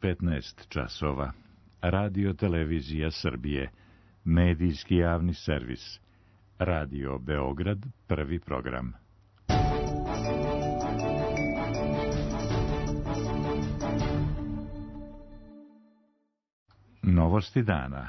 15 časova. Radio Televizija Srbije. Medijski javni servis. Radio Beograd, prvi program. Novosti dana.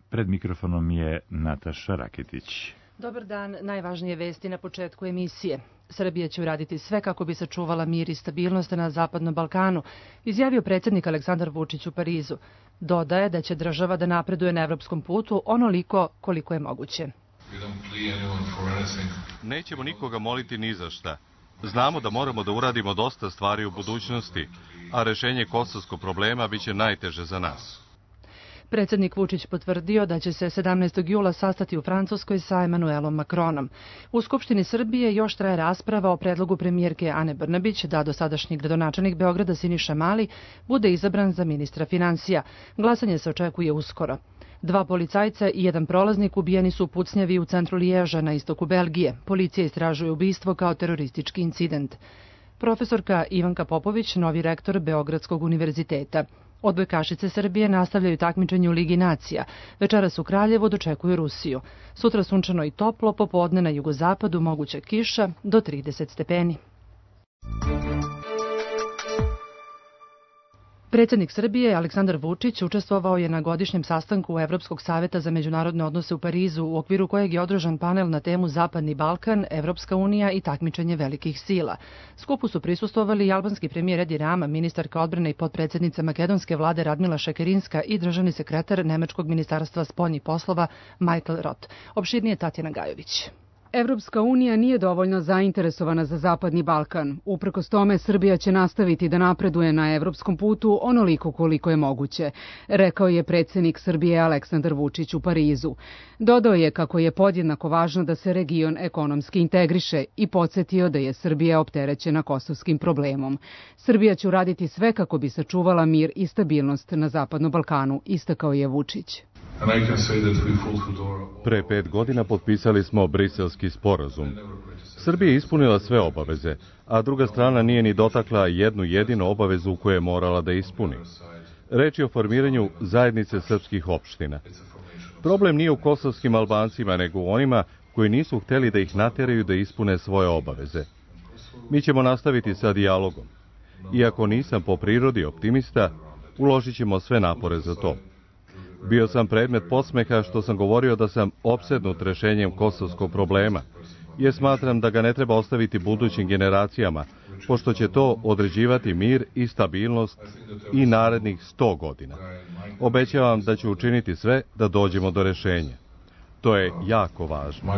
Pred mikrofonom je Nataša Raketić. Dobar dan, najvažnije vesti na početku emisije. Srbija će uraditi sve kako bi sačuvala mir i stabilnost na Zapadnom Balkanu, izjavio predsjednik Aleksandar Vučić u Parizu. Dodaje da će država da napreduje na evropskom putu onoliko koliko je moguće. Nećemo nikoga moliti ni za šta. Znamo da moramo da uradimo dosta stvari u budućnosti, a rešenje kosovskog problema biće najteže za nas. Predsjednik Vučić potvrdio da će se 17. jula sastati u Francuskoj sa Emanuelom Macronom. U Skupštini Srbije još traje rasprava o predlogu premijerke Ane Brnabić da dosadašnji gradonačelnik Beograda Siniša Mali bude izabran za ministra finansija. Glasanje se očekuje uskoro. 2 policajca i 1 prolaznik ubijeni su u pucnjavi u centru Liježa na istoku Belgije. Policija istražuje ubistvo kao teroristički incident. Profesorka Ivanka Popović, novi rektor Beogradskog univerziteta. Odbojkašice Srbije nastavljaju takmičenje u Ligi nacija. Večeras u Kraljevu dočekuju Rusiju. Sutra sunčano i toplo, popodne na jugozapadu moguća kiša do 30 stepeni. Predsjednik Srbije Aleksandar Vučić učestvovao je na godišnjem sastanku Evropskog saveta za međunarodne odnose u Parizu, u okviru kojeg je održan panel na temu Zapadni Balkan, Evropska unija i takmičenje velikih sila. Skupu su prisustvovali i albanski premijer Edi Rama, ministarka odbrane i potpredsjednica makedonske vlade Radmila Šekerinska i državni sekretar Nemačkog ministarstva spoljnih poslova Michael Roth. Opširnije Tatjana Gajović. Evropska unija nije dovoljno zainteresovana za Zapadni Balkan. Uprkos tome, Srbija će nastaviti da napreduje na evropskom putu onoliko koliko je moguće, rekao je predsjednik Srbije Aleksandar Vučić u Parizu. Dodao je kako je podjednako važno da se region ekonomski integriše i podsjetio da je Srbija opterećena kosovskim problemom. Srbija će uraditi sve kako bi sačuvala mir i stabilnost na Zapadnom Balkanu, istakao je Vučić. Pre 5 godina potpisali smo Briselski sporazum. Srbija je ispunila sve obaveze, a druga strana nije ni dotakla jednu jedinu obavezu koju je morala da ispuni. Reč je o formiranju zajednice srpskih opština. Problem nije u kosovskim Albancima, nego u onima koji nisu hteli da ih nateraju da ispune svoje obaveze. Mi ćemo nastaviti sa dijalogom. Iako nisam po prirodi optimista, uložit ćemo sve napore za to. Bio sam predmet podsmeha što sam govorio da sam opsednut rešenjem kosovskog problema, jer smatram da ga ne treba ostaviti budućim generacijama, pošto će to određivati mir i stabilnost i narednih 100 godina. Obećavam da ću učiniti sve da dođemo do rešenja. To je jako važno.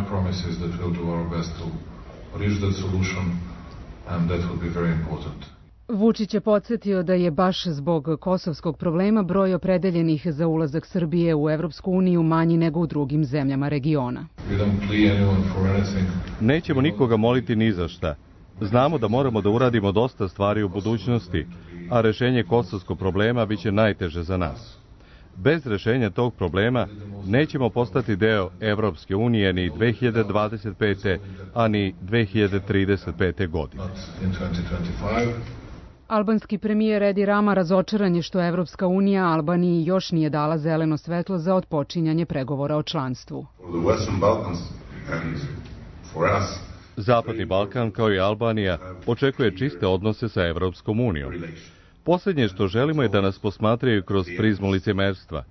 Vučić je podsjetio da je baš zbog kosovskog problema broj opredeljenih za ulazak Srbije u Evropsku uniju manji nego u drugim zemljama regiona. Nećemo nikoga moliti ni za šta. Znamo da moramo da uradimo dosta stvari u budućnosti, a rešenje kosovskog problema biće najteže za nas. Bez rešenja tog problema nećemo postati deo Evropske unije ni 2025. a ni 2035. godine. Albanski premijer Edi Rama razočaran je što Evropska unija Albaniji još nije dala zeleno svetlo za otpočinjanje pregovora o članstvu. Zapadni Balkan, kao i Albanija, očekuje čiste odnose sa Evropskom unijom. Posljednje što želimo je da nas posmatraju kroz prizmu licemerstva.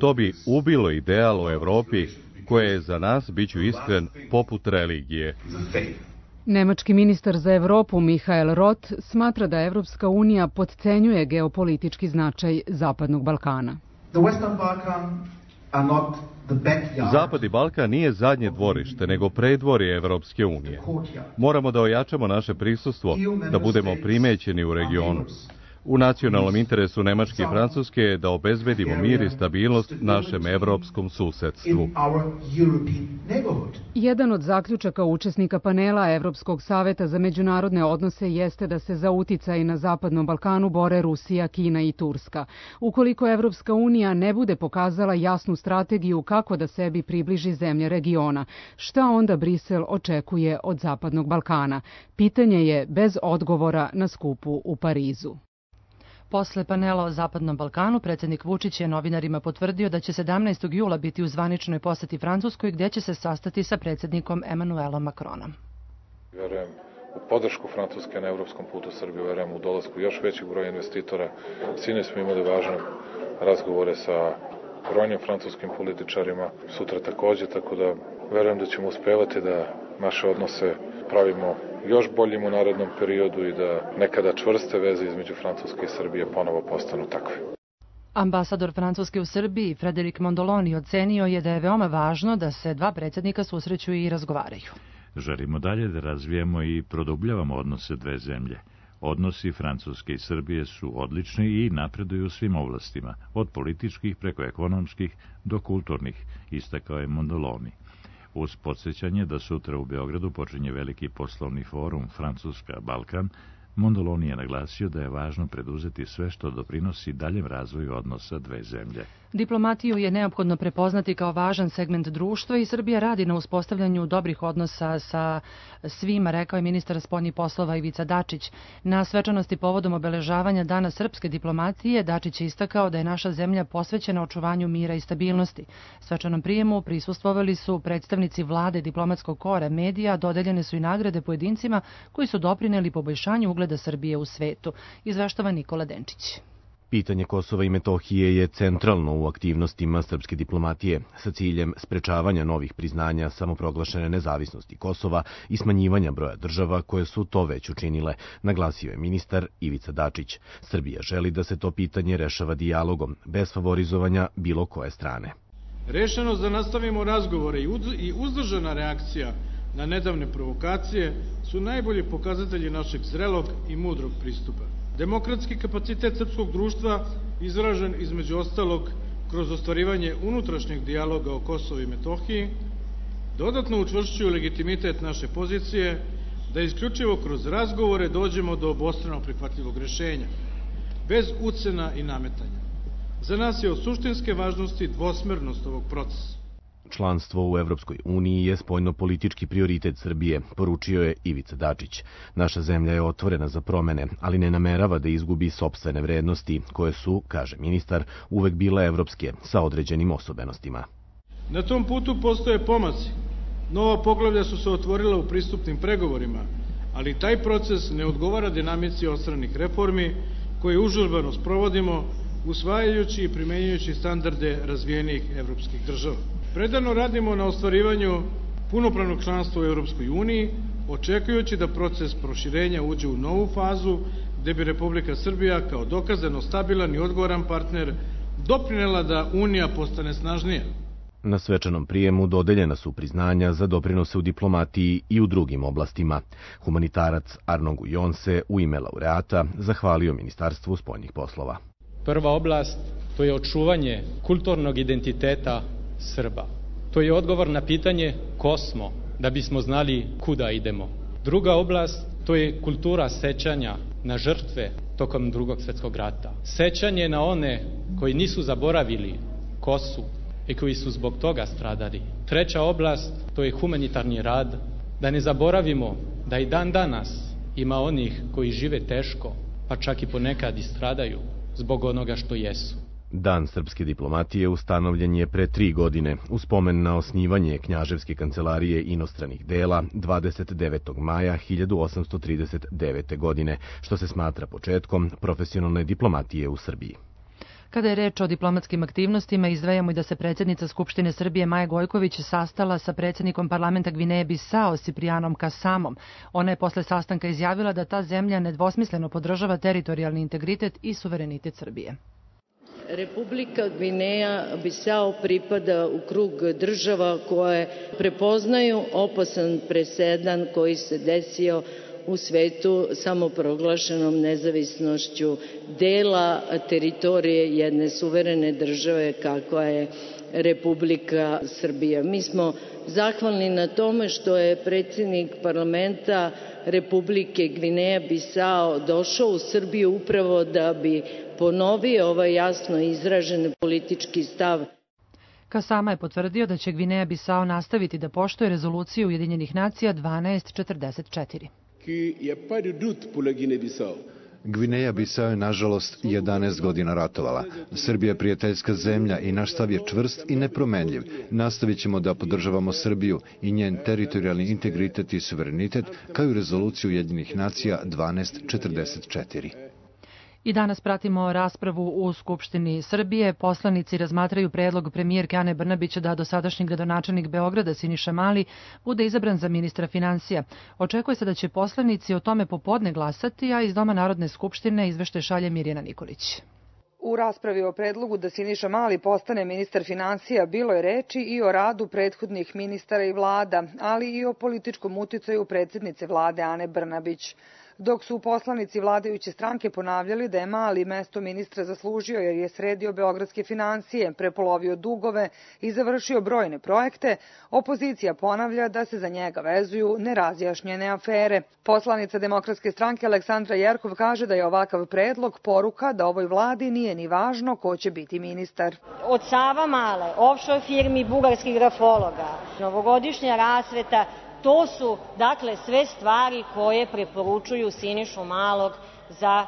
To bi ubilo ideal o Evropi koja je za nas, biću iskren, poput religije. Nemački ministar za Evropu Michael Roth smatra da Evropska unija potcenjuje geopolitički značaj Zapadnog Balkana. Zapadni Balkan nije zadnje dvorište, nego predvorje Evropske unije. Moramo da ojačamo naše prisustvo, da budemo primećeni u regionu. U nacionalnom interesu Nemačke i Francuske je da obezbedimo mir i stabilnost našem evropskom susedstvu. Jedan od zaključaka učesnika panela Evropskog saveta za međunarodne odnose jeste da se za uticaj na Zapadnom Balkanu bore Rusija, Kina i Turska. Ukoliko Evropska unija ne bude pokazala jasnu strategiju kako da sebi približi zemlje regiona, šta onda Brisel očekuje od Zapadnog Balkana? Pitanje je bez odgovora na skupu u Parizu. Posle panela o Zapadnom Balkanu, predsjednik Vučić je novinarima potvrdio da će 17. jula biti u zvaničnoj poseti Francuskoj, gdje će se sastati sa predsjednikom Emmanuelom Macronom. Verujem u podršku Francuske na evropskom putu Srbije, verujem u dolasku još većeg broja investitora. Sinoć smo imali važne razgovore sa brojnim francuskim političarima, sutra takođe, tako da verujem da ćemo uspevati da naše odnose pravimo još boljim u narednom periodu i da nekada čvrste veze između Francuske i Srbije ponovo postanu takve. Ambasador Francuske u Srbiji, Frédéric Mondoloni, ocenio je da je veoma važno da se dva predsjednika susreću i razgovaraju. Želimo dalje da razvijemo i produbljavamo odnose dve zemlje. Odnosi Francuske i Srbije su odlični i napreduju u svim oblastima, od političkih preko ekonomskih do kulturnih, istakao je Mondoloni. Uz podsjećanje da sutra u Beogradu počinje veliki poslovni forum Francuska-Balkan, Mondoloni je naglasio da je važno preduzeti sve što doprinosi daljem razvoju odnosa dve zemlje. Diplomatiju je neophodno prepoznati kao važan segment društva i Srbija radi na uspostavljanju dobrih odnosa sa svima, rekao je ministar spoljnih poslova Ivica Dačić. Na svečanosti povodom obeležavanja Dana srpske diplomatije, Dačić je istakao da je naša zemlja posvećena očuvanju mira i stabilnosti. Svečanom prijemu prisustvovali su predstavnici vlade, diplomatskog kora, medija, dodeljene su i nagrade pojedincima koji su doprineli poboljšanju ugleda Srbije u svetu, izveštava Nikola Denčić. Pitanje Kosova i Metohije je centralno u aktivnostima srpske diplomatije sa ciljem sprečavanja novih priznanja samoproglašene nezavisnosti Kosova i smanjivanja broja država koje su to već učinile, naglasio je ministar Ivica Dačić. Srbija želi da se to pitanje rešava dijalogom, bez favorizovanja bilo koje strane. Rešenost da nastavimo razgovore i uzdržana reakcija na nedavne provokacije su najbolji pokazatelji našeg zrelog i mudrog pristupa. Demokratski kapacitet srpskog društva izražen između ostalog kroz ostvarivanje unutrašnjeg dijaloga o Kosovu i Metohiji dodatno učvršćuju legitimitet naše pozicije da isključivo kroz razgovore dođemo do obostrano prihvatljivog rešenja, bez ucena i nametanja. Za nas je od suštinske važnosti dvosmernost ovog procesa. Članstvo u Evropskoj uniji je spoljno-politički prioritet Srbije, poručio je Ivica Dačić. Naša zemlja je otvorena za promene, ali ne namerava da izgubi sopstvene vrednosti, koje su, kaže ministar, uvek bile evropske, sa određenim osobenostima. Na tom putu postoje pomaci. Nova poglavlja su se otvorila u pristupnim pregovorima, ali taj proces ne odgovara dinamici ostranih reformi koje užurbano sprovodimo, usvajajući i primenjujući standarde razvijenih evropskih država. Predano radimo na ostvarivanju punopravnog članstva u Evropskoj uniji, očekujući da proces proširenja uđe u novu fazu, gde bi Republika Srbija kao dokazano stabilan i odgovoran partner doprinela da Unija postane snažnija. Na svečanom prijemu dodeljena su priznanja za doprinose u diplomatiji i u drugim oblastima. Humanitarac Arnon Gujon se u ime laureata zahvalio Ministarstvu spoljnih poslova. Prva oblast to je očuvanje kulturnog identiteta Srba. To je odgovor na pitanje ko smo, da bismo znali kuda idemo. Druga oblast to je kultura sećanja na žrtve tokom Drugog svjetskog rata. Sećanje na one koji nisu zaboravili ko su i koji su zbog toga stradali. Treća oblast to je humanitarni rad, da ne zaboravimo da i dan danas ima onih koji žive teško, pa čak i ponekad i stradaju zbog onoga što jesu. Dan srpske diplomatije ustanovljen je pre 3 godine u spomen na osnivanje Knjaževske kancelarije inostranih dela 29. maja 1839. godine, što se smatra početkom profesionalne diplomatije u Srbiji. Kada je reč o diplomatskim aktivnostima, izdvajamo i da se predsjednica Skupštine Srbije Maja Gojković sastala sa predsjednikom parlamenta Gvineje Bisao Ciprijanom Kasamom. Ona je posle sastanka izjavila da ta zemlja nedvosmisleno podržava teritorijalni integritet i suverenitet Srbije. Republika Gvineja Bisao pripada u krug država koje prepoznaju opasan presedan koji se desio u svetu samoproglašenom nezavisnošću dela teritorije jedne suverene države kakva je Republika Srbija. Mi smo zahvalni na tome što je predsjednik parlamenta Republike Gvineja Bisao došao u Srbiju upravo da bi ponovio ovaj jasno izražen politički stav. Kasama je potvrdio da će Gvineja Bisao nastaviti da poštuje rezoluciju Ujedinjenih nacija 1244. Gvineja Bisao je, nažalost, 11 godina ratovala. Srbija je prijateljska zemlja i naš stav je čvrst i nepromenljiv. Nastavit ćemo da podržavamo Srbiju i njen teritorijalni integritet i suverenitet, kao i rezoluciju Ujedinjenih nacija 1244. I danas pratimo raspravu u Skupštini Srbije. Poslanici razmatraju predlog premijerke Ane Brnabić da dosadašnji gradonačelnik Beograda Siniša Mali bude izabran za ministra finansija. Očekuje se da će poslanici o tome popodne glasati, a iz Doma Narodne skupštine izveštaj šalje Mirjana Nikolić. U raspravi o predlogu da Siniša Mali postane ministar finansija bilo je reči i o radu prethodnih ministara i vlada, ali i o političkom uticaju predsjednice vlade Ane Brnabić. Dok su poslanici vladajuće stranke ponavljali da je Mali mesto ministra zaslužio jer je sredio beogradske finansije, prepolovio dugove i završio brojne projekte, opozicija ponavlja da se za njega vezuju nerazjašnjene afere. Poslanica Demokratske stranke Aleksandra Jerkov kaže da je ovakav predlog poruka da ovoj vladi nije ni važno ko će biti ministar. Od Savamale, offshore firmi bugarskih grafologa, novogodišnja rasveta, to su, dakle, sve stvari koje preporučuju Sinišu Malog za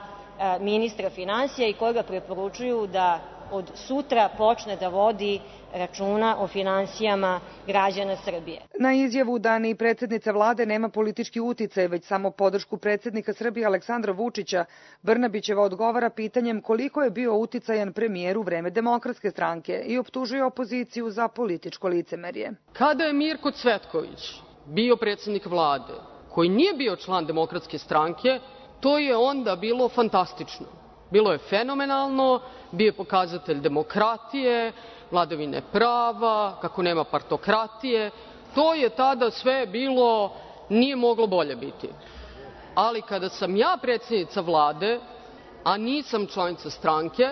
ministra finansija i koje ga preporučuju da od sutra počne da vodi računa o finansijama građana Srbije. Na izjavu da ni predsjednica vlade nema politički uticaj, već samo podršku predsjednika Srbije Aleksandra Vučića, Brnabićeva odgovara pitanjem koliko je bio uticajan premijer u vreme Demokratske stranke i optužuje opoziciju za političko licemerje. Kada je Mirko Cvetković bio predsjednik vlade, koji nije bio član Demokratske stranke, to je onda bilo fantastično. Bilo je fenomenalno, bio je pokazatelj demokratije, vladavine prava, kako nema partokratije. To je tada sve bilo, nije moglo bolje biti. Ali kada sam ja predsjednica vlade, a nisam članica stranke,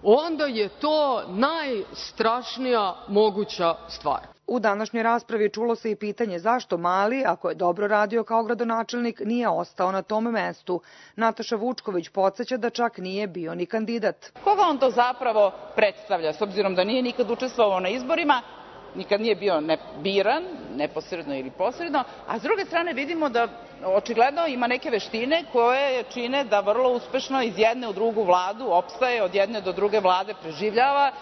onda je to najstrašnija moguća stvar. U današnjoj raspravi čulo se i pitanje zašto Mali, ako je dobro radio kao gradonačelnik, nije ostao na tom mestu. Nataša Vučković podsjeća da čak nije bio ni kandidat. Koga on to zapravo predstavlja, s obzirom da nije nikad učestvovao na izborima, nikad nije bio biran, neposredno ili posredno, a s druge strane vidimo da očigledno ima neke veštine koje čine da vrlo uspešno iz jedne u drugu vladu opstaje, od jedne do druge vlade preživljava,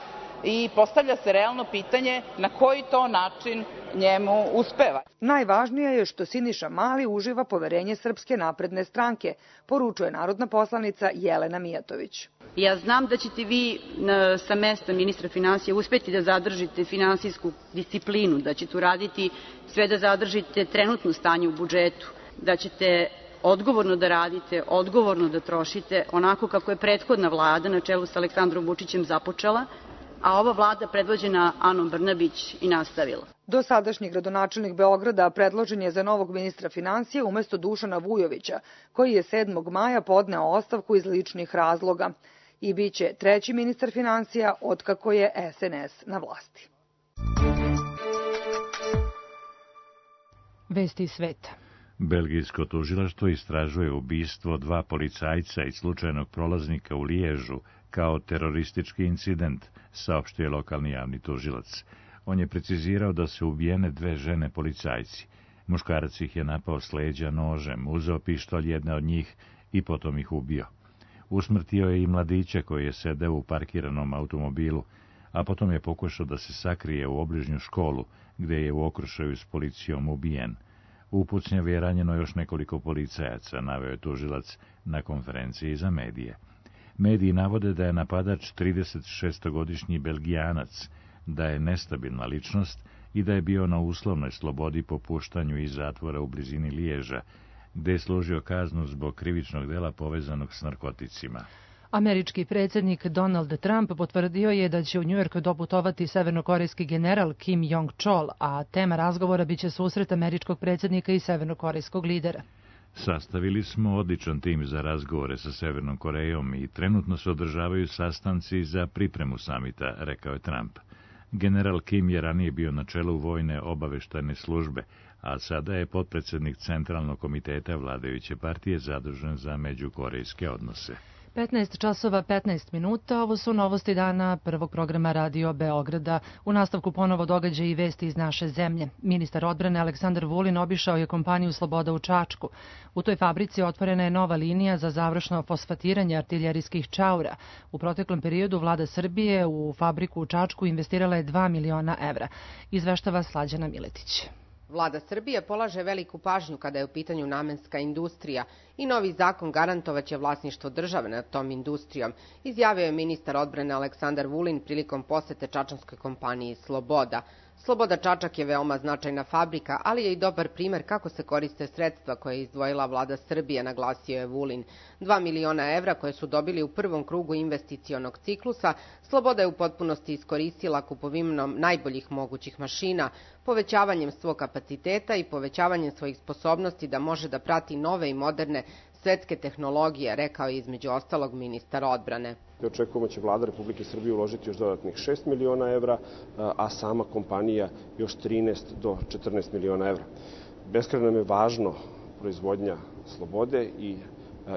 i postavlja se realno pitanje na koji to način njemu uspeva. Najvažnije je što Siniša Mali uživa poverenje Srpske napredne stranke, poručuje narodna poslanica Jelena Mijatović. Ja znam da ćete vi sa mesta ministra finansija uspeti da zadržite finansijsku disciplinu, da ćete uraditi sve da zadržite trenutno stanje u budžetu, da ćete odgovorno da radite, odgovorno da trošite, onako kako je prethodna vlada na čelu sa Aleksandrom Vučićem započela, a ova vlada predvođena Anom Brnabić i nastavila. Dosadašnji gradonačelnik Beograda predložen je za novog ministra finansija umesto Dušana Vujovića, koji je 7. maja podneo ostavku iz ličnih razloga i biće treći ministar finansija otkako je SNS na vlasti. Vesti iz sveta. Belgijsko tužilaštvo istražuje ubistvo 2 policajca i slučajnog prolaznika u Liježu kao teroristički incident, saopštio lokalni javni tužilac. On je precizirao da su ubijene 2 žene policajci. Muškarac ih je napao s leđa nožem, uzeo pištolj jedne od njih i potom ih ubio. Usmrtio je i mladića koji je sedeo u parkiranom automobilu, a potom je pokušao da se sakrije u obližnju školu, gde je u okršaju s policijom ubijen. U pucnjavi je ranjeno još nekoliko policajaca, naveo je tužilac na konferenciji za medije. Mediji navode da je napadač 36-godišnji Belgijanac, da je nestabilna ličnost i da je bio na uslovnoj slobodi po puštanju iz zatvora u blizini Liježa, gde je služio kaznu zbog krivičnog dela povezanog s narkoticima. Američki predsjednik Donald Trump potvrdio je da će u Njujork doputovati severnokorejski general Kim Jong-chol, a tema razgovora biće susret američkog predsjednika i severnokorejskog lidera. Sastavili smo odličan tim za razgovore sa Severnom Korejom i trenutno se održavaju sastanci za pripremu samita, rekao je Trump. General Kim je ranije bio na čelu vojne obaveštajne službe, a sada je potpredsjednik Centralnog komiteta vladajuće partije zadužen za međukorejske odnose. 15 časova 15 minuta, ovo su novosti dana prvog programa Radio Beograda. U nastavku ponovo događaj i vesti iz naše zemlje. Ministar odbrane Aleksandar Vulin obišao je kompaniju Sloboda u Čačku. U toj fabrici otvorena je nova linija za završno fosfatiranje artiljerijskih čaura. U proteklom periodu vlada Srbije u fabriku u Čačku investirala je 2 miliona evra. Izveštava Slađana Miletić. Vlada Srbije polaže veliku pažnju kada je u pitanju namenska industrija i novi zakon garantovaće vlasništvo države nad tom industrijom, izjavio je ministar odbrane Aleksandar Vulin prilikom posete čačanskoj kompaniji Sloboda. Sloboda Čačak je veoma značajna fabrika, ali je i dobar primer kako se koriste sredstva koje je izdvojila vlada Srbije, naglasio je Vulin. 2 miliona evra koje su dobili u prvom krugu investicionog ciklusa, Sloboda je u potpunosti iskoristila kupovinom najboljih mogućih mašina, povećavanjem svog kapaciteta i povećavanjem svojih sposobnosti da može da prati nove i moderne svetske tehnologije, rekao je između ostalog ministar odbrane. Očekujemo da će vlada Republike Srbije uložiti još dodatnih 6 miliona evra, a sama kompanija još 13 do 14 miliona evra. Beskrajno nam je važno proizvodnja Slobode i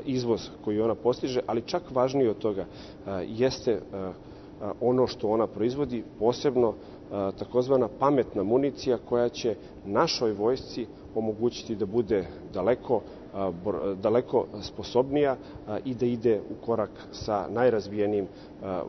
izvoz koji ona postiže, ali čak važnije od toga jeste ono što ona proizvodi, posebno takozvana pametna municija koja će našoj vojsci omogućiti da bude daleko sposobnija i da ide u korak sa najrazvijenijim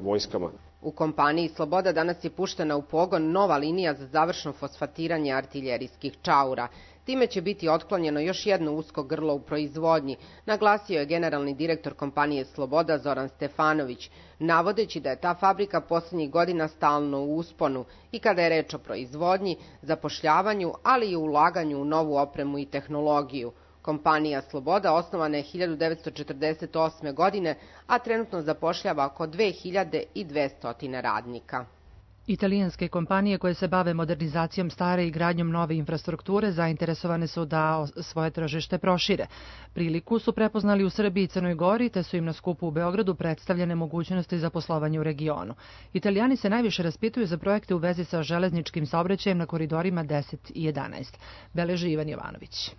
vojskama. U kompaniji Sloboda danas je puštena u pogon nova linija za završno fosfatiranje artiljerijskih čaura. Time će biti otklonjeno još jedno usko grlo u proizvodnji, naglasio je generalni direktor kompanije Sloboda Zoran Stefanović, navodeći da je ta fabrika poslednjih godina stalno u usponu i kada je reč o proizvodnji, zapošljavanju, ali i ulaganju u novu opremu i tehnologiju. Kompanija Sloboda osnovana je 1948. godine, a trenutno zapošljava oko 2200 radnika. Italijanske kompanije koje se bave modernizacijom stare i gradnjom nove infrastrukture zainteresovane su da svoje tržište prošire. Priliku su prepoznali u Srbiji i Crnoj Gori, te su im na skupu u Beogradu predstavljene mogućnosti za poslovanje u regionu. Italijani se najviše raspituju za projekte u vezi sa železničkim saobraćajem na koridorima 10 i 11. Beleži Ivan Jovanović.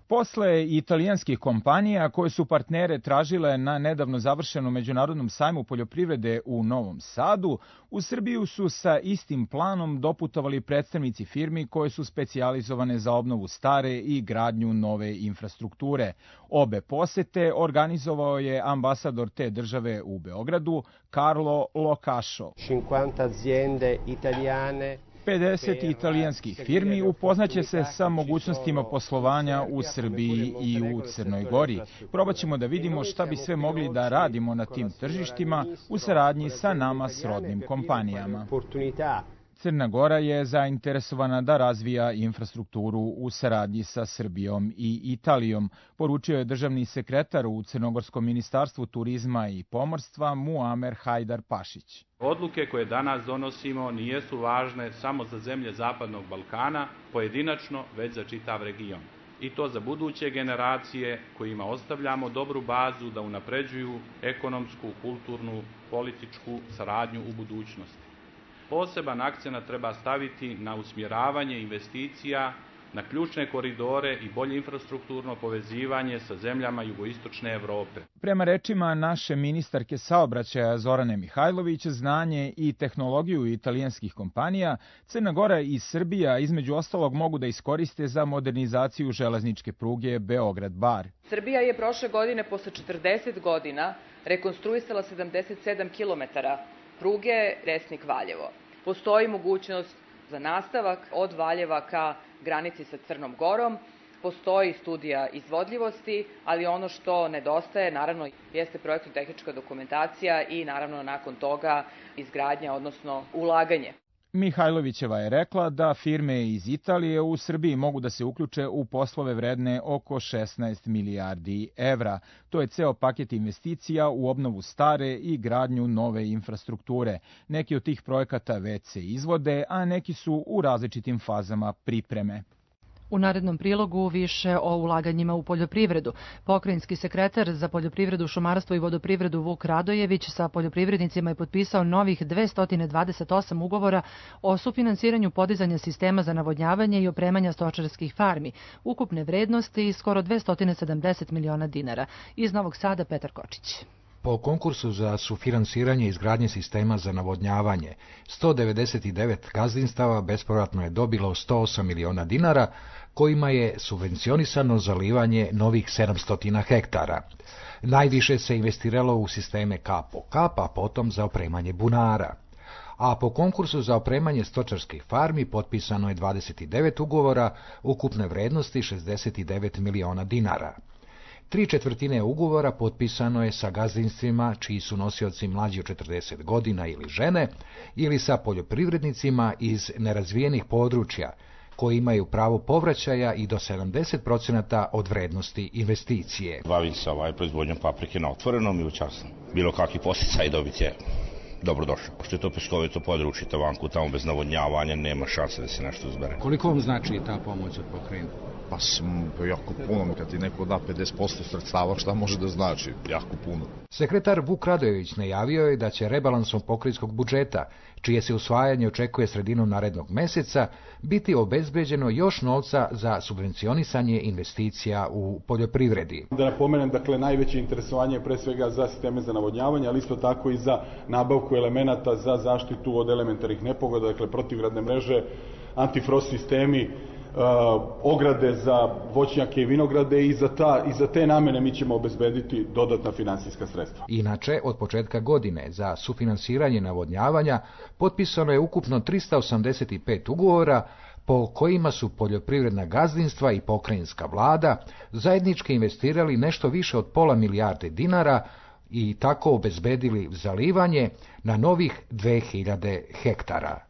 Posle italijanskih kompanija koje su partnere tražile na nedavno završenom međunarodnom sajmu poljoprivrede u Novom Sadu, u Srbiju su sa istim planom doputovali predstavnici firmi koje su specijalizovane za obnovu stare i gradnju nove infrastrukture. Obe posete organizovao je ambasador te države u Beogradu, Carlo Locašo. 50 aziende italiane 50 italijanskih firmi upoznaće se sa mogućnostima poslovanja u Srbiji i u Crnoj Gori. Probaćemo da vidimo šta bi sve mogli da radimo na tim tržištima u saradnji sa nama srodnim kompanijama. Crna Gora je zainteresovana da razvija infrastrukturu u saradnji sa Srbijom i Italijom, poručio je državni sekretar u Crnogorskom ministarstvu turizma i pomorstva Muamer Hajdar Pašić. Odluke koje danas donosimo nijesu važne samo za zemlje Zapadnog Balkana, pojedinačno, već za čitav region. I to za buduće generacije kojima ostavljamo dobru bazu da unapređuju ekonomsku, kulturnu, političku saradnju u budućnosti. Poseban akcenat treba staviti na usmjeravanje investicija, na ključne koridore i bolje infrastrukturno povezivanje sa zemljama jugoistočne Evrope. Prema rečima naše ministarke saobraćaja Zorane Mihajlović, znanje i tehnologiju italijanskih kompanija, Crna Gora i Srbija između ostalog mogu da iskoriste za modernizaciju železničke pruge Beograd-Bar. Srbija je prošle godine posle 40 godina rekonstruisala 77 kilometara pruge Resnik-Valjevo. Postoji mogućnost za nastavak od Valjeva ka granici sa Crnom Gorom. Postoji studija izvodljivosti, ali ono što nedostaje, naravno, jeste projektno-tehnička dokumentacija i, naravno, nakon toga izgradnja, odnosno ulaganje. Mihajlovićeva je rekla da firme iz Italije u Srbiji mogu da se uključe u poslove vredne oko 16 milijardi evra. To je ceo paket investicija u obnovu stare i gradnju nove infrastrukture. Neki od tih projekata već se izvode, a neki su u različitim fazama pripreme. U narednom prilogu više o ulaganjima u poljoprivredu. Pokrajinski sekretar za poljoprivredu, šumarstvo i vodoprivredu Vuk Radojević sa poljoprivrednicima je potpisao novih 228 ugovora o sufinansiranju podizanja sistema za navodnjavanje i opremanja stočarskih farmi, ukupne vrednosti skoro 270 miliona dinara. Iz Novog Sada Petar Kočić. Po konkursu za sufinansiranje izgradnje sistema za navodnjavanje, 199 gazdinstava bespovratno je dobilo 108 miliona dinara, kojima je subvencionisano zalivanje novih 700 hektara. Najviše se investiralo u sisteme kap po kap, a potom za opremanje bunara. A po konkursu za opremanje stočarskih farmi potpisano je 29 ugovora ukupne vrednosti 69 miliona dinara. 3/4 ugovora potpisano je sa gazdinstvima čiji su nosioci mlađi od 40 godina ili žene, ili sa poljoprivrednicima iz nerazvijenih područja, koji imaju pravo povraćaja i do 70% od vrednosti investicije. Bavim se proizvodnjom paprike na otvorenom i u časnom. Bilo kakvi posticaj dobiti je dobrodošao. Pošto je to peškovito područje, tavanku, tamo bez navodnjavanja nema šanse da se nešto uzbere. Koliko vam znači ta pomoć od pokrajine? Pa jako puno, kad ti neko da 50% sredstava, šta može da znači? Jako puno. Sekretar Vuk Radojević najavio je da će rebalansom pokrajinskog budžeta, čije se usvajanje očekuje sredinom narednog meseca, biti obezbeđeno još novca za subvencionisanje investicija u poljoprivredi. Da napomenem, dakle, najveće interesovanje je pre svega za sisteme za navodnjavanje, ali isto tako i za nabavku elemenata za zaštitu od elementarnih nepogoda, dakle, protivgradne mreže, antifrost sistemi, ograde za voćnjake i vinograde i za te namene mi ćemo obezbediti dodatna finansijska sredstva. Inače, od početka godine za sufinansiranje navodnjavanja potpisano je ukupno 385 ugovora po kojima su poljoprivredna gazdinstva i pokrajinska vlada zajednički investirali nešto više od pola milijarde dinara i tako obezbedili zalivanje na novih 2000 hektara.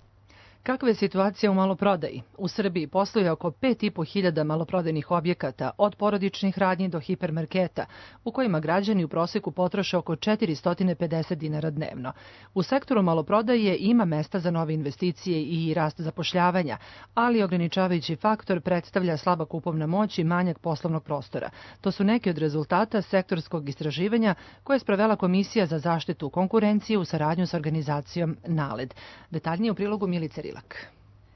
Kakva je situacija u maloprodaji? U Srbiji posluje oko 5.500 maloprodajnih objekata, od porodičnih radnji do hipermarketa, u kojima građani u proseku potroše oko 450 dinara dnevno. U sektoru maloprodaje ima mesta za nove investicije i rast zapošljavanja, ali ograničavajući faktor predstavlja slaba kupovna moć i manjak poslovnog prostora. To su neki od rezultata sektorskog istraživanja koje je sprovela Komisija za zaštitu konkurencije u saradnju s organizacijom NALED. Detaljnije u prilogu Milice Rilak.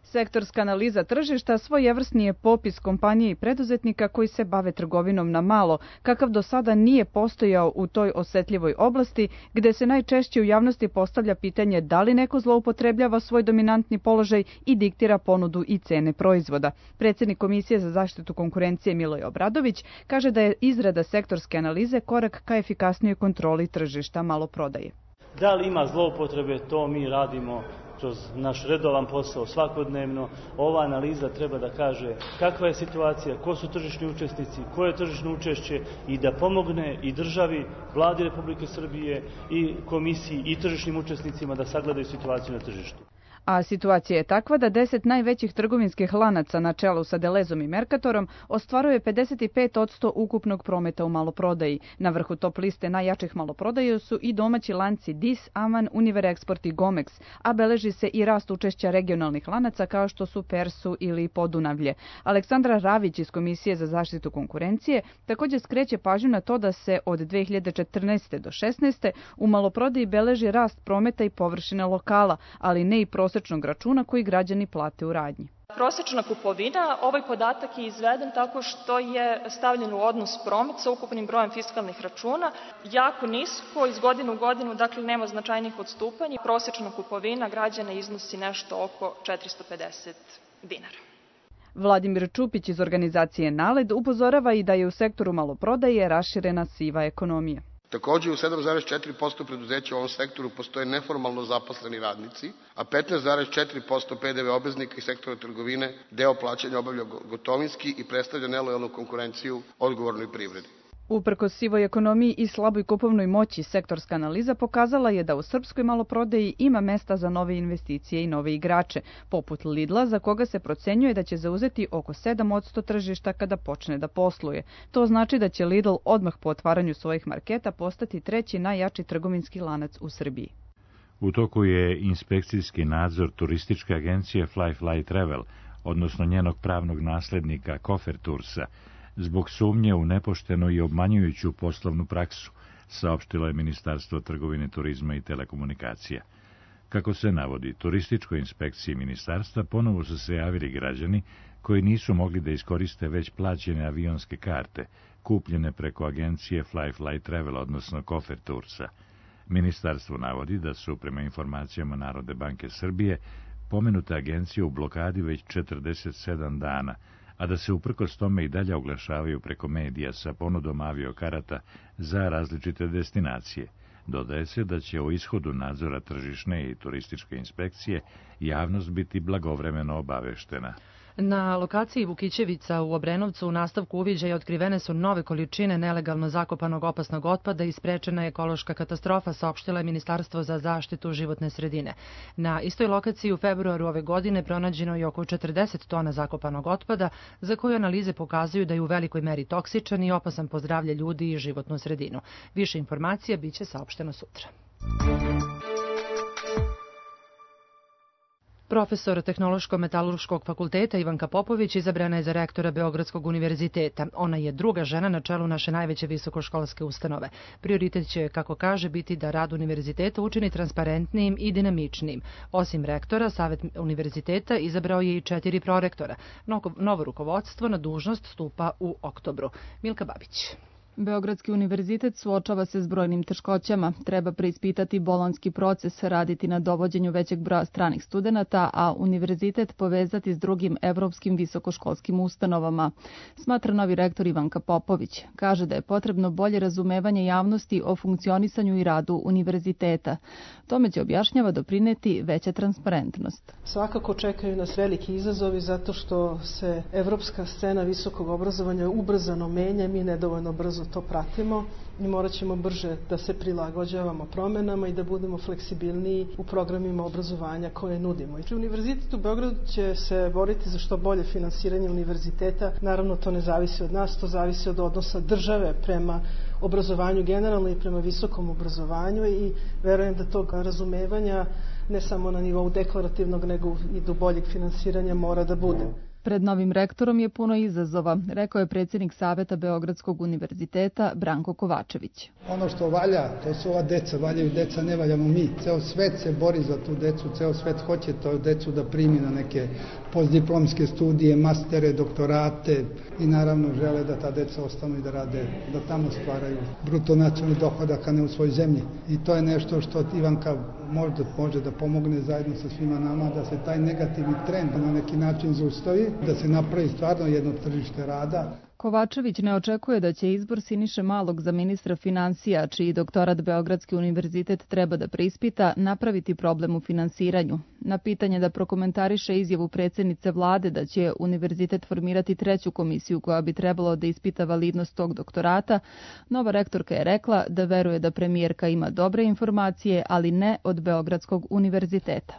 Sektorska analiza tržišta svojevrsni je popis kompanije i preduzetnika koji se bave trgovinom na malo, kakav do sada nije postojao u toj osetljivoj oblasti, gde se najčešće u javnosti postavlja pitanje da li neko zloupotrebljava svoj dominantni položaj i diktira ponudu i cene proizvoda. Predsjednik Komisije za zaštitu konkurencije Miloj Obradović kaže da je izrada sektorske analize korak ka efikasnijoj kontroli tržišta maloprodaje. Da li ima zloupotrebe, to mi radimo kroz naš redovan posao svakodnevno. Ova analiza treba da kaže kakva je situacija, ko su tržišni učesnici, koje je tržišno učešće i da pomogne i državi, vladi Republike Srbije i komisiji i tržišnim učesnicima da sagledaju situaciju na tržištu. A situacija je takva da 10 najvećih trgovinskih lanaca na čelu sa Delezom i Mercatorom ostvaruje 55% ukupnog prometa u maloprodaji. Na vrhu top liste najjačih maloprodaja su i domaći lanci Dis, Aman, Univerexport i Gomex, a beleži se i rast učešća regionalnih lanaca kao što su Persu ili Podunavlje. Aleksandra Ravić iz Komisije za zaštitu konkurencije također skreće pažnju na to da se od 2014. do 2016. u maloprodaji beleži rast prometa i površine lokala, ali ne i prosječnog računa koji građani plate u radnji. Prosječna kupovina, ovaj podatak je izveden tako što je stavljen u odnos promet sa ukupnim brojem fiskalnih računa, jako nisko, iz godine u godinu, dakle nema značajnih odstupanja. Prosječna kupovina građana iznosi nešto oko 450 dinara. Vladimir Čupić iz organizacije NALED upozorava i da je u sektoru maloprodaje raširena siva ekonomija. Takođe, u 7,4% preduzeća u ovom sektoru postoje neformalno zaposleni radnici, a 15,4% PDV obveznika iz sektora trgovine deo plaćanja obavlja gotovinski i predstavlja nelojalnu konkurenciju odgovornoj privredi. Uprkos sivoj ekonomiji i slaboj kupovnoj moći, sektorska analiza pokazala je da u srpskoj maloprodaji ima mesta za nove investicije i nove igrače, poput Lidla, za koga se procenjuje da će zauzeti oko 7% tržišta kada počne da posluje. To znači da će Lidl odmah po otvaranju svojih marketa postati treći najjači trgovinski lanac u Srbiji. U toku je inspekcijski nadzor turističke agencije Fly Travel, odnosno njenog pravnog naslednika Kofer Toursa, zbog sumnje u nepoštenu i obmanjujuću poslovnu praksu, saopštilo je Ministarstvo trgovine, turizma i telekomunikacija. Kako se navodi, turističkoj inspekciji ministarstva ponovo su se javili građani koji nisu mogli da iskoriste već plaćene avionske karte, kupljene preko agencije Fly Travel, odnosno Kofer Toursa. Ministarstvo navodi da su, prema informacijama Narodne banke Srbije, pomenute agencije u blokadi već 47 dana, a da se uprkos tome i dalje oglašavaju preko medija sa ponudom aviokarata za različite destinacije. Dodaje se da će o ishodu nadzora tržišne i turističke inspekcije javnost biti blagovremeno obaveštena. Na lokaciji Vukićevica u Obrenovcu u nastavku uviđaja otkrivene su nove količine nelegalno zakopanog opasnog otpada i sprečena je ekološka katastrofa, saopštilo je Ministarstvo za zaštitu životne sredine. Na istoj lokaciji u februaru ove godine pronađeno je oko 40 tona zakopanog otpada, za koju analize pokazuju da je u velikoj meri toksičan i opasan po zdravlje ljudi i životnu sredinu. Više informacija biće saopšteno sutra. Profesor Tehnološko-metalurškog fakulteta Ivanka Popović izabrana je za rektora Beogradskog univerziteta. Ona je druga žena na čelu naše najveće visokoškolske ustanove. Prioritet će, kako kaže, biti da rad univerziteta učini transparentnijim i dinamičnijim. Osim rektora, Savet univerziteta izabrao je i 4 prorektora. Novo rukovodstvo na dužnost stupa u oktobru. Milka Babić. Beogradski univerzitet suočava se s brojnim teškoćama. Treba preispitati bolonjski proces, raditi na dovođenju većeg broja stranih studenata, a univerzitet povezati s drugim evropskim visokoškolskim ustanovama, smatra novi rektor Ivanka Popović. Kaže da je potrebno bolje razumevanje javnosti o funkcionisanju i radu univerziteta. Tome će, objašnjava, doprineti veća transparentnost. Svakako čekaju nas veliki izazovi zato što se evropska scena visokog obrazovanja ubrzano menja, mi nedovoljno brzo to pratimo i morat ćemo brže da se prilagođavamo promenama i da budemo fleksibilniji u programima obrazovanja koje nudimo. Univerzitet u Beogradu će se boriti za što bolje finansiranje univerziteta. Naravno, to ne zavisi od nas, to zavisi od odnosa države prema obrazovanju generalno i prema visokom obrazovanju i verujem da tog razumevanja ne samo na nivou deklarativnog nego i do boljeg finansiranja mora da bude. Pred novim rektorom je puno izazova, rekao je predsjednik Saveta Beogradskog univerziteta Branko Kovačević. Ono što valja, to su ova deca, valjaju deca, ne valjamo mi. Ceo svet se bori za tu decu, ceo svet hoće tu decu da primi na neke postdiplomske studije, mastere, doktorate i naravno žele da ta deca ostanu i da rade, da tamo stvaraju bruto nacionalni dohodak, a ne u svojoj zemlji. I to je nešto što Ivanka može da pomogne zajedno sa svima nama, da se taj negativni trend na neki način zaustavi, da se napravi stvarno jedno tržište rada. Kovačević ne očekuje da će izbor Siniše Malog za ministra finansija, čiji doktorat Beogradski univerzitet treba da preispita, napraviti problem u finansiranju. Na pitanje da prokomentariše izjavu predsjednice vlade da će univerzitet formirati 3. komisiju koja bi trebalo da ispita validnost tog doktorata, nova rektorka je rekla da veruje da premijerka ima dobre informacije, ali ne od Beogradskog univerziteta.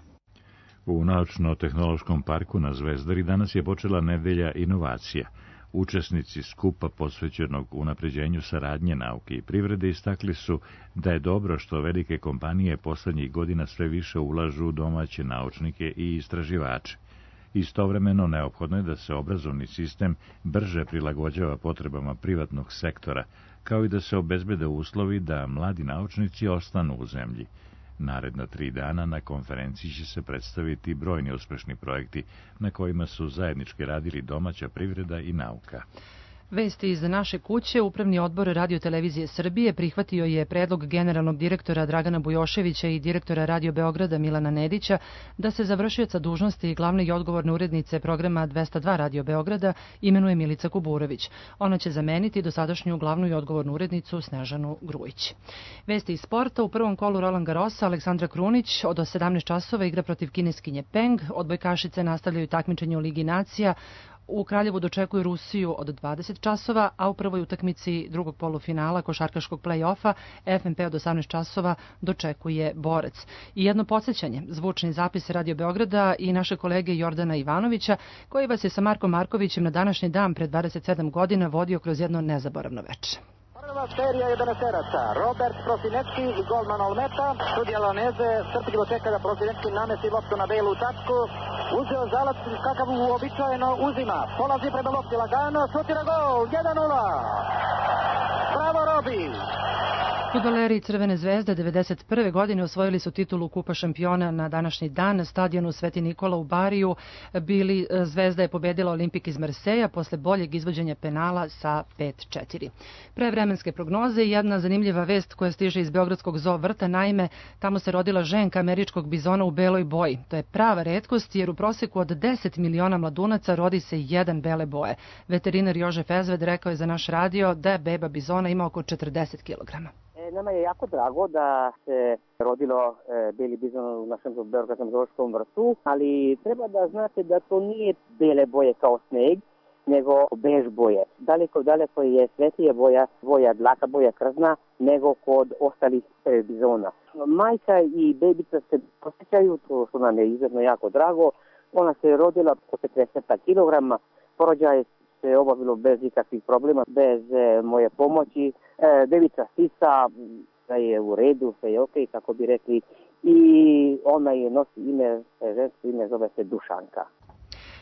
U Naučno-tehnološkom parku na Zvezdari danas je počela nedelja inovacija. Učesnici skupa posvećenog unapređenju saradnje nauke i privrede istakli su da je dobro što velike kompanije poslednjih godina sve više ulažu u domaće naučnike i istraživače. Istovremeno neophodno je da se obrazovni sistem brže prilagođava potrebama privatnog sektora, kao i da se obezbede uslovi da mladi naučnici ostanu u zemlji. Naredna 3 dana na konferenciji će se predstaviti brojni uspešni projekti na kojima su zajednički radili domaća privreda i nauka. Vesti iz naše kuće. Upravni odbor Radio-televizije Srbije prihvatio je predlog generalnog direktora Dragana Bujoševića i direktora Radio Beograda Milana Nedića da se za vršioca dužnosti i glavne i odgovorne urednice programa 202 Radio Beograda imenuje Milica Kuburović. Ona će zameniti dosadašnju glavnu i odgovornu urednicu Snežanu Grujić. Vesti iz sporta. U prvom kolu Roland Garrosa Aleksandra Krunić od 17 časova igra protiv kineskinje Peng. Odbojkašice nastavljaju takmičenje u Ligi nacija. U Kraljevu dočekuju Rusiju od 20 časova, a u prvoj utakmici drugog polufinala košarkaškog play-offa FNP od 18 časova dočekuje Borac. I jedno podsjećanje, zvučni zapis Radio Beograda i naše kolege Jordana Ivanovića, koji vas je sa Markom Markovićem na današnji dan pred 27 godina vodio kroz jedno nezaboravno veče. Prva serija 11-eraca, Robert Prosinecki i golman Olmeta. Sudija Laneze strpljivo čeka da Prosinecki namesti loptu na belu tačku. Uzeo zalac kakav uobičajeno uzima. Polazi prema lopti lagano, šutira gol, 1-0. Bravo Robi! Fudbaleri Crvene zvezde 1991. godine osvojili su titulu Kupa šampiona na današnji dan na stadionu Sveti Nikola u Bariju. Zvezda je pobedila Olimpik iz Marseja posle boljeg izvođenja penala sa 5-4. Pre vremenske prognoze jedna zanimljiva vest koja stiže iz Beogradskog zoo vrta, naime tamo se rodila ženka američkog bizona u beloj boji. To je prava retkost jer u proseku od 10 miliona mladunaca rodi se jedan bele boje. Veterinar Jože Fezved rekao je za naš radio da beba bizona ima oko 40 kilograma. Nama je jako drago da se rodilo beli bizon u našem Beogradskom zoološkom vrtu, ali treba da znate da to nije bele boje kao sneg, nego bež boje. Daleko je svetlija boja dlaka, boja krzna, nego kod ostalih bizona. Majka i bebica se posjećaju, to što nam je izuzetno jako drago. Ona se rodila po 40 kilograma, porođaj se obavilo bez ikakvih problema, bez moje pomoći. Devica sisa, da je u redu, sve je okej, kako bi rekli. I ona je nosi ime, žensko ime, zove se Dušanka.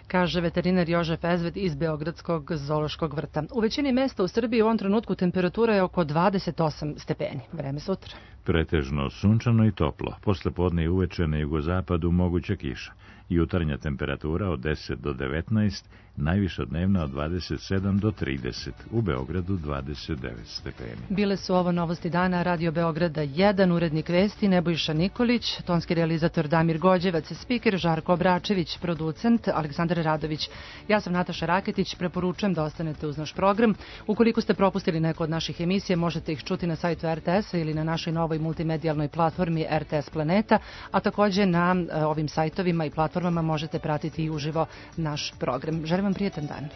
Kaže veterinar Jože Fezved iz Beogradskog zoološkog vrta. U većini mesta u Srbiji u ovom trenutku temperatura je oko 28 stepeni. Vreme sutra. Pretežno sunčano i toplo. Posle podne i uveče na jugozapadu moguća kiša. Jutarnja temperatura od 10 do 19, najviša dnevna od 27 do 30, u Beogradu 29 stepeni. Bile su ovo novosti dana Radio Beograda 1, urednik vesti Nebojša Nikolić, tonski realizator Damir Gođevac, spiker Žarko Obračević, producent Aleksandar Radović. Ja sam Nataša Raketić, preporučujem da ostanete uz naš program. Ukoliko ste propustili neko od naših emisija, možete ih čuti na sajtu RTS-a ili na našoj novoj multimedijalnoj platformi RTS Planeta, a također na ovim sajtovima i platformama možete pratiti i uživo naš program. Želim vam prijetan dan.